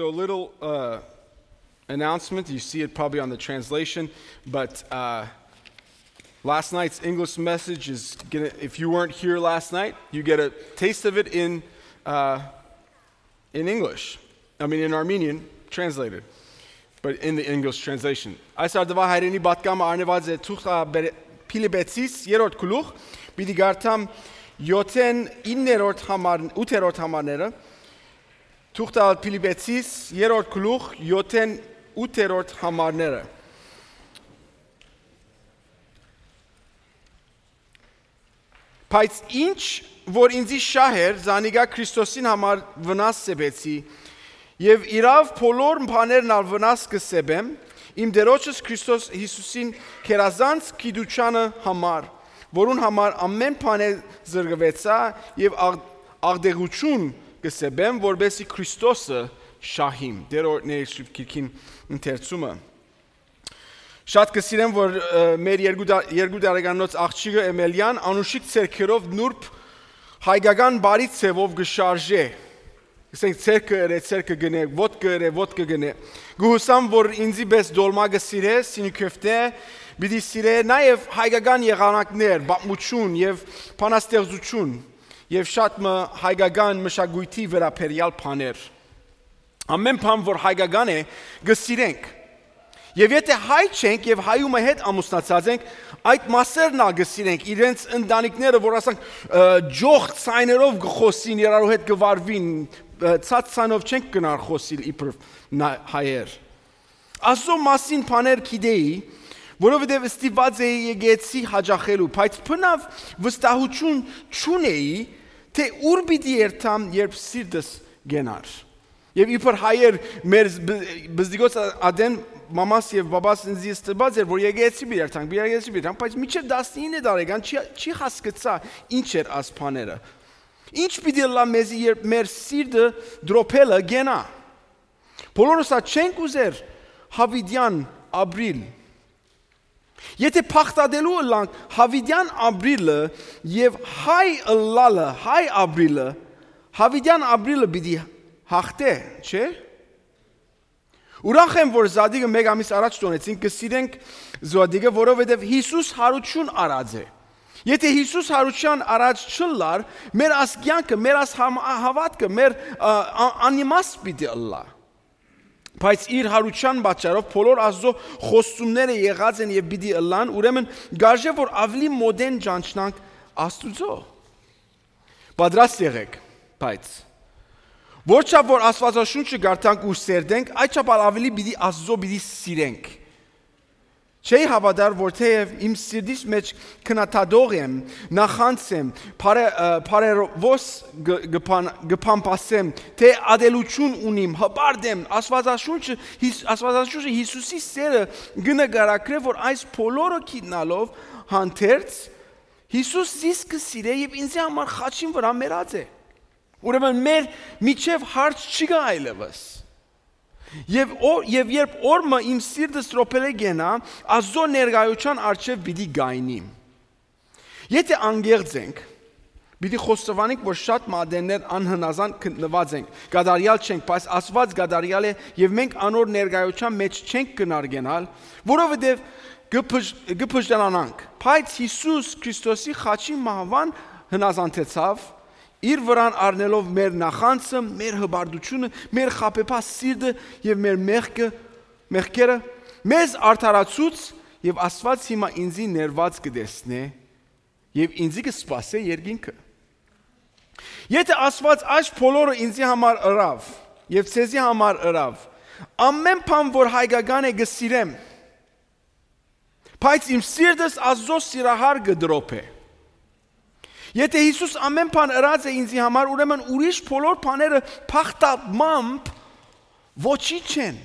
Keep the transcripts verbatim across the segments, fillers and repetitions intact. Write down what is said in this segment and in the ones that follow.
So, a little uh, announcement. You see it probably on the translation, but uh, last night's English message is gonna, if you weren't here last night, you get a taste of it in, uh, in English. I mean, in Armenian, translated, but in the English translation. Այս արդուայ հայրենի պատկամը արնեված է թուղթ Փիլիպեցիս երրորդ գլուխ, պիտի գարտամ յոթերորդ, իններորդ համար, ութերորդ համարները, թուղթ Փիլիպեցիս երրորդ գլուխ, յոթերորդ, ութերորդ համարները։ Բայց ինչ որ ինծի շահ էր, զանիկա Քրիստոսին համար վնաս սեպեցի, եւ իրաւ բոլոր բաներն ալ վնաս կը սեպեմ, իմ Տէրոջս Քրիստոս Յիսուսին գերազանց գիտութեանը համար, որուն համար ամէն բանէ զրկուեցայ եւ աղ-, աղտեղութիւն կը սեպեմ, որպէս զի Քրիստոսը շահիմ։ Տէրոյ օրհնեալ սուրբ գիրքին ընթերցումը։ Շատ կը սիրեմ, որ, ը, մեր երկու դա-, երկու տարեկանոց աղջիկը Էմելիան անուշիկ ձեռքերով նուրբ հայկական բարի ձևով կը շարժէ։ Ասենք, ձեռքը ըրէ, ձեռքը գնէ, ոտքը ըրէ, ոտքը գնէ։ Գուհուսամ, որ ինձի պես դոլմա կը սիրէ, սինիքովտե, պիտի սիրէ նաեւ հայկական եղանակներ, պատմություն եւ բանաստեղծություն, եւ շատ մը հայկական մշակոյթի վերաբերեալ բաներ։ Ամէն բան, որ հայկական է, կը սիրենք։ Եւ եթէ հայ չենք եւ հայումը հետ ամուսնացած ենք, այդ մասերն ալ կը սիրենք, իրենց ընտանիքները, որ ասենք, ը, ջող ցայներով կը խօսին, իրարու հետ կը վարուին, ը, ցած ցայնով չենք գնար խօսիլ իբրև նա-, հայեր։ Ասո մասին բաներ գիտէի, որովհետեւ ստիպված էի եկեցի յաճախելու, բայց բնաւ վստահութիւն չունէի, թէ ուր պիտի երթամ, երբ սիրտս կենար։ Եւ իբր հայեր մեր զ-, բ-, բզդիգոց ա-, ատեն մամաս եւ բաբաս ինձի ստիպած էր, որ եկեցի պիտի երթանք, պիտի եկեցի պիտի երթանք, բայց մինչեւ տասնինը տարեկան չի, չի հասկցայ ինչ էր աս բաները։ Ինչ պիտի ըլլայ մեզի, երբ մեր սիրտը դրոփելը կենայ։ Բոլորս ա չենք ուզեր յաւիտեան ապրիլ։ Եթէ բաղդատելու ըլլանք յաւիտեան ապրիլը եւ հայ ըլլալը, հայ ապրիլը, յաւիտեան ապրիլը պիտի հաղթէ, չէ՞։ Ուրախ եմ, որ Զատիկը մէկ ամիս առաջ տոնեցին, կը սիրենք Զատիկը, որովհետեւ Յիսուս յարութիւն առած է։ Եթէ Յիսուս յարութեան առաջ չըլլար, մեր աս կեանքը, մեր աս համ-, հաւատքը, մեր, ա, ա-, անիմաստ պիտի ըլլայ։ Բայց իր յարութեան պատճառով բոլոր Աստուծոյ խոստումները եղած են եւ պիտի ըլլան, ուրեմն կարժէ որ աւելի մօտէն ճանչնանք Աստուծոյ։ Պատրաստ եղէք, բայց որչափ որ Աստուածաշունչը կարդանք ու սերտենք, այդչափ ալ աւելի պիտի Աստուծոյ պիտի սիրենք։ Չէի հաւատար, որ թէեւ իմ սիրտիս մէջ քննադատող եմ, նախանձ եմ, բարե-, ը, բարերովոս գ-, գ-, բան-, գ-, բամբասեմ, թէ ատելութիւն ունիմ, հպարտ եմ, Աստուածաշունչը, Հիս-, Աստուածաշունչը Յիսուսի սերը կը նկարագրէ, որ այս բոլորը գիտնալով հանդերձ, Յիսուս զիս կը սիրէ եւ ինձի համար խաչին վրայ մեռած է։ Ուրեմն մեր միջեւ հարց չի գայ այլեւս։ Եւ օ-, եւ երբ օր մը իմ սիրտս տրոփելէ կենայ, Աստուծոյ ներկայութեան առջեւ պիտի գայնիմ։ Եթէ անկեղծ ենք, պիտի խոստովանենք, որ շատ մը ատեններ անհնազանդ գտնուած ենք, կատարեալ չենք, բայց Աստուած կատարեալ է եւ մենք անոր ներկայութեան մէջ չենք կնարկենալ, որովհետեւ կը բժ-, կը բժտանանանք։ Բայց Յիսուս Քրիստոսի խաչի մահուան հնազանդեցաւ, իր վրան առնելով մեր նախանձը, մեր հպարտությունը, մեր խաբեբայ սիրտը եւ մեր մեղքը, մեղքերը, մեզ արդարացուց եւ Աստուած հիմա ինձի ներված կը տեսնէ եւ ինձի կը սպասէ երկինքը։ Եթէ Աստուած այս բոլորը ինձի համար ըրաւ եւ ձեզի համար ըրաւ, ամէն բան որ հայկական է կը սիրեմ, բայց իմ սիրտս Աստուծոյ սիրահար կը դրոփէ։ Եթէ Յիսուս ամէն բան ըրած է ինձի համար, ուրեմն ուրիշ բոլոր բաները փախտամամբ ոչինչ են։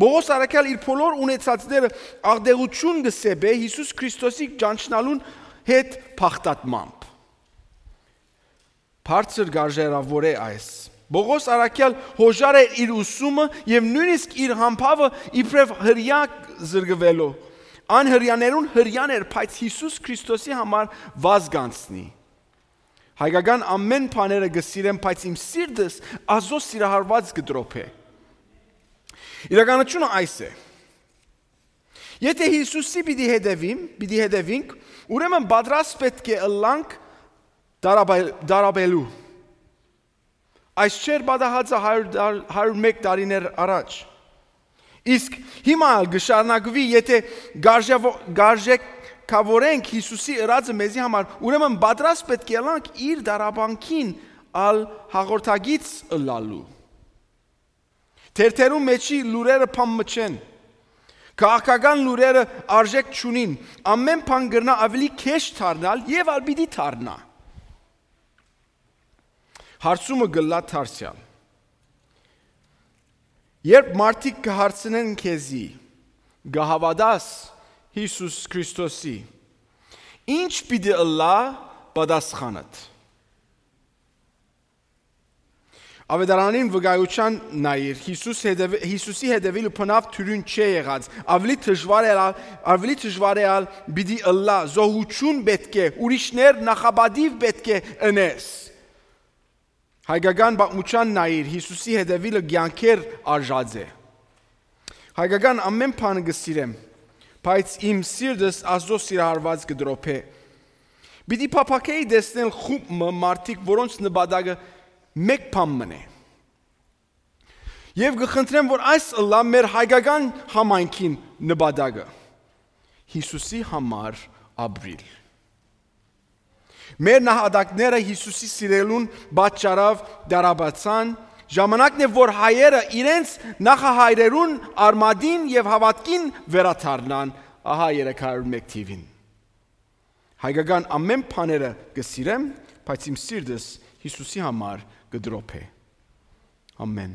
Պողոս առաքյալ իր բոլոր ունեցածները աղտեղութիւն կը սեպէ Յիսուս Քրիստոսի ճանչնալուն հետ փախտատմամբ։ Բարձր կարժերաւոր է այս։ Պողոս առաքյալ հոժար էր իր ուսումը եւ նոյնիսկ իր համբաւը իբրեւ հրեայ զրկուելու։ Ան հրեաներուն հրեան էր, բայց Յիսուս Քրիստոսի համար վազգանցնի։ Հայկական ամեն բաները կը սիրեմ, բայց իմ սիրտս Աստուծոյ սիրահարուած կը տրոփէ։ Իրականությունը այս է։ Եթե Հիսուսի պիտի հետևիմ, պիտի հետևինք, ուրեմն պատրաստ պէտք է ըլլանք դարաբել-, դարաբելու։ Այս չէր պատահածը հարիւր դար-, հարիւր մէկ տարիներ առաջ։ Իսկ հիմա ալ կը շարունակուի, եթե գարժեվո-, գարժեքավորենք Հիսուսի ըրածը մեզի համար, ուրեմն պատրաստ պէտք է ըլլանք իր դարաբանքին ալ հաղորդակից ըլլալու։ Թերթերու մէջի լուրերը բան մը չեն։ Քաղաքական լուրերը արժէք չունին։ Ամեն բան կրնայ աւելի քեշ դառնալ եւ ալ պիտի դառնայ։ Հարցումը կ'ըլլայ դարձեալ. երբ մարդիկ կը հարցնեն քեզի, կը հաւատա՞ս Յիսուս Քրիստոսի, ի՞նչ պիտի ըլլայ պատասխանդ։ Աւետարանին վկայութեան նայիր, Յիսուս հետեւի-, Յիսուսի հետեւիլը բնաւ թիւրին չէ եղած, աւելի դժուար է ալ, աւելի դժուար է ալ պիտի ըլլայ, զոհութիւն պէտք է, ուրիշներ նախապատիւ պէտք է ընես։ Հայկական պատմութեան նայիր, Յիսուսի հետեւիլը կեանքեր արժած է։ Հայկական ամեն բան կը սիրեմ, բայց իմ սիրտս Աստուծոյ սիրահարուած կը տրոփէ։ Պիտի փափաքէի տեսնել խումբ մը մարդիկ, որոնց նպատակը մէկ բան մըն է։ Եւ կը խնդրեմ, որ այս ըլլայ մեր հայկական համայնքին նպատակը։ Յիսուսի համար ապրիլ։ Մեր նահատակները Յիսուսի սիրելուն պատճառով դարաբացան, ժամանակն է, որ հայերը իրենց նախահայրերուն արմատին եւ հաւատքին վերադառնան, ահա երեք հարիւր մէկ թիւին։ Հայկական ամեն բաները կը սիրեմ, բայց իմ սիրտս Յիսուսի համար կը տրոփէ։ Ամեն։